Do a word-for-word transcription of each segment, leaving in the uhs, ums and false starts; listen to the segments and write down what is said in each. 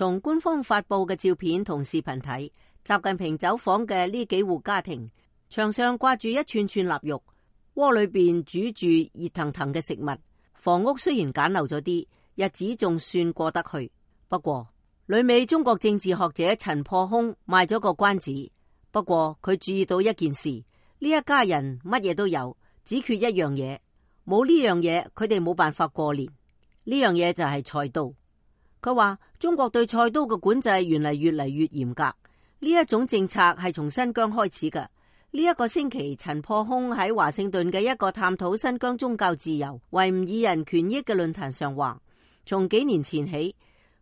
從官方發佈嘅照片同視頻睇，習近平走訪嘅呢幾戶家庭，牆上掛住一串串臘肉，鍋裏邊煮住熱騰騰嘅食物。房屋雖然簡陋咗啲，日子仲算過得去。不過，旅美中國政治學者陳破空賣咗個關子。不過佢注意到一件事，呢一家人乜嘢都有，只缺一樣嘢。冇呢樣嘢，佢哋冇辦法過年。呢樣嘢就係菜刀。佢話中國對菜刀嘅管制原嚟越嚟越嚴格。呢一種政策係從新疆開始嘅。呢一個星期，陳破空喺華盛頓嘅一個探討新疆宗教自由、維吾爾人權益嘅論壇上話，從幾年前起，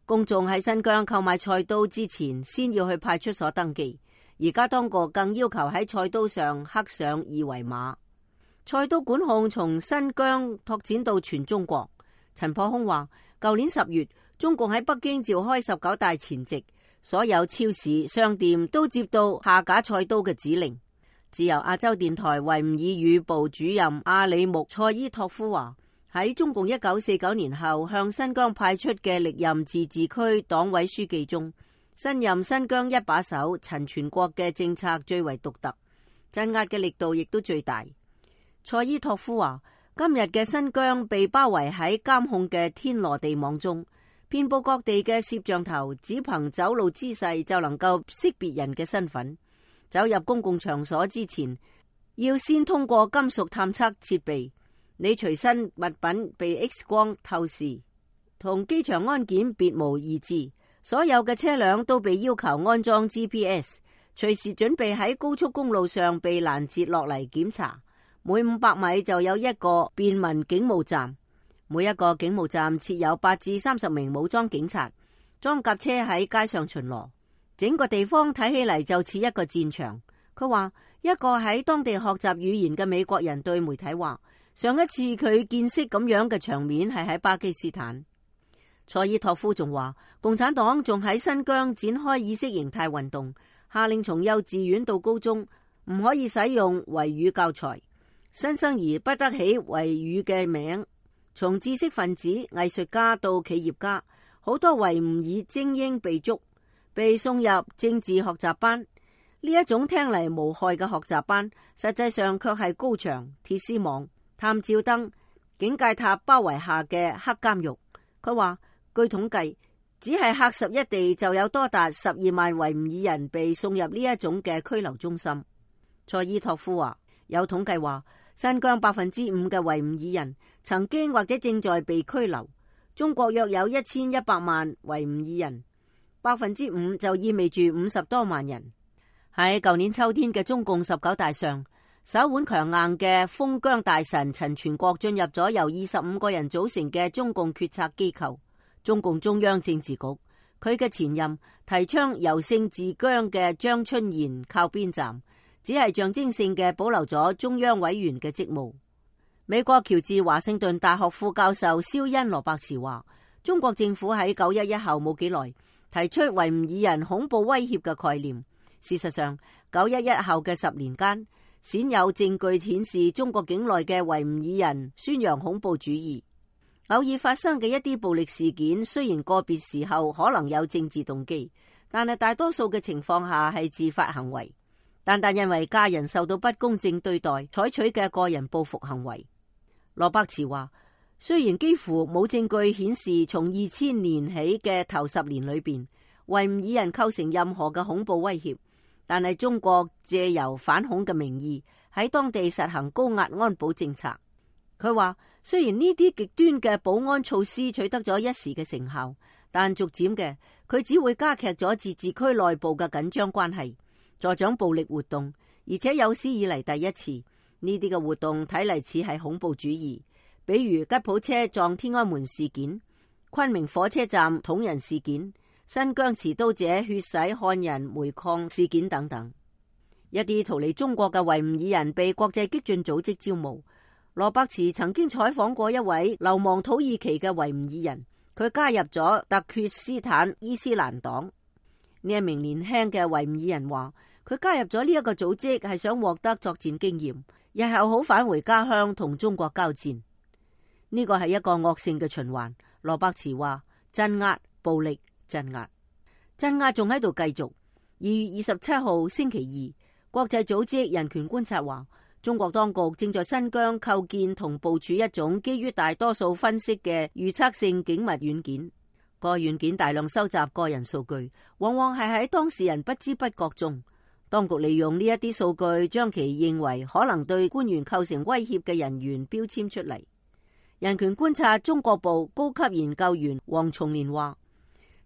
公眾喺新疆購買菜刀之前，先要去派出所登記。而家當局更要求喺菜刀上刻上二維碼。菜刀管控從新疆拓展到全中國。陳破空話，舊年十月，中共喺北京召開十九大前夕，所有超市、商店都接到下架菜刀嘅指令。自由亞洲電台維吾爾語部主任阿里木賽伊托夫話，喺中共一九四九年後向新疆派出嘅歷任自治區黨委書記中，新任新疆一把手陳全國嘅政策最為獨特，鎮壓嘅力度亦都最大。賽伊托夫話，今日嘅新疆被包圍喺監控嘅天羅地網中，遍佈各地嘅攝像頭只憑走路姿勢就能夠識別人嘅身份。走入公共場所之前，要先通過金屬探測設備，你隨身物品被 X 光透視，同機場安檢別無二致。所有嘅車輛都被要求安裝 G P S， 隨時準備喺高速公路上被攔截落嚟檢查。每五百米就有一個便民警務站，每一個警務站設有八至三十名武裝警察，裝甲車喺街上巡邏。整個地方睇起嚟就似一個戰場。佢話，一個喺當地學習語言嘅美國人對媒體話，上一次佢見識咁樣嘅場面係喺巴基斯坦。賽伊托夫仲話，共產黨仲喺新疆展開意識形態運動，下令從幼稚園到高中唔可以使用維語教材，新生兒不得起維語嘅名。從知識分子、藝術家到企業家，好多維吾爾精英被捉，被送入政治學習班。呢一種聽嚟無害嘅學習班，實際上卻係高牆、鐵絲網、探照燈、警戒塔包圍下嘅黑監獄。佢話，據統計，只係喀什一地就有多達十二萬維吾爾人被送入呢一種嘅拘留中心。賽伊托夫話，有統計話，新疆百分之五嘅維吾爾人曾經或者正在被拘留。中國約有一千一百萬維吾爾人，百分之五就意味住五十多萬人。喺舊年秋天嘅中共十九大上，手腕強硬嘅封疆大臣陳全國進入咗由二十五個人組成嘅中共決策機構中共中央政治局。佢嘅前任提倡由盛治疆嘅張春賢靠邊站，只係象徵性嘅保留咗中央委員嘅職務。美國喬治華盛頓大學副教授肖恩羅伯茨話，中國政府喺九一一後冇幾耐提出維吾爾人恐怖威脅嘅概念。事實上，九一一後嘅十年間，鮮有證據顯示中國境內嘅維吾爾人宣揚恐怖主義。偶爾發生嘅一啲暴力事件，雖然個別時候可能有政治動機，但係大多數嘅情況下係自發行為，單單因為家人受到不公正對待採取嘅個人報復行為。羅伯茨話，雖然幾乎冇證據顯示從二千年起嘅頭十年裏邊，維吾爾人構成任何嘅恐怖威脅，但係中國借由反恐嘅名義喺當地實行高壓安保政策。佢話，雖然呢啲極端嘅保安措施取得咗一時嘅成效，但逐漸嘅佢只會加劇咗自治區內部嘅緊張關係，助長暴力活動，而且有史以嚟第一次，呢啲嘅活動睇嚟似係恐怖主義，比如吉普車撞天安門事件、昆明火車站捅人事件、新疆持刀者血洗漢人煤礦事件等等。一啲逃離中國嘅維吾爾人被國際激進組織招募。羅伯茨曾經採訪過一位流亡土耳其嘅維吾爾人，佢加入咗特厥斯坦伊斯蘭黨。呢一名年輕嘅維吾爾人話，佢加入咗呢一個組織係想獲得作戰經驗，日後好返回家鄉同中國交戰。呢個係一個惡性嘅循環。羅伯茨話，鎮壓、暴力、鎮壓。鎮壓仲喺度繼續。二月二十七號星期二，國際組織人權觀察話，中國當局正在新疆構建同部署一種基於大多數分析嘅預測性警密軟件。該軟件大量收集個人數據，往往係喺當事人不知不覺中。當局利用呢一啲數據，將其認為可能對官員構成威脅嘅人員標籤出嚟。人權觀察中國部高級研究員黃松年話，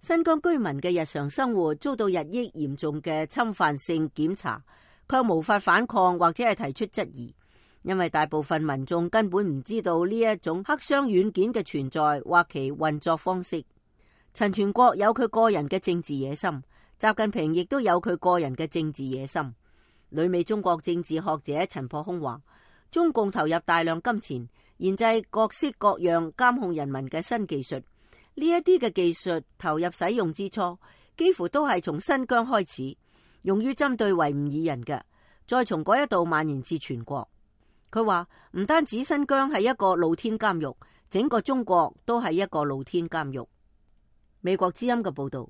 新疆居民嘅日常生活遭到日益嚴重嘅侵犯性檢查，卻無法反抗或者係提出質疑，因為大部分民眾根本唔知道呢一種黑箱軟件嘅存在或其運作方式。陳全國有佢個人嘅政治野心，習近平亦都有佢個人嘅政治野心。旅美中國政治學者陳破空話，中共投入大量金錢研製各式各樣監控人民嘅新技術。呢一啲嘅技術投入使用之初，幾乎都係從新疆開始，用於針對維吾爾人嘅，再從嗰一度蔓延至全國。佢話唔單止新疆係一個露天監獄，整個中國都係一個露天監獄。美國之音嘅報道。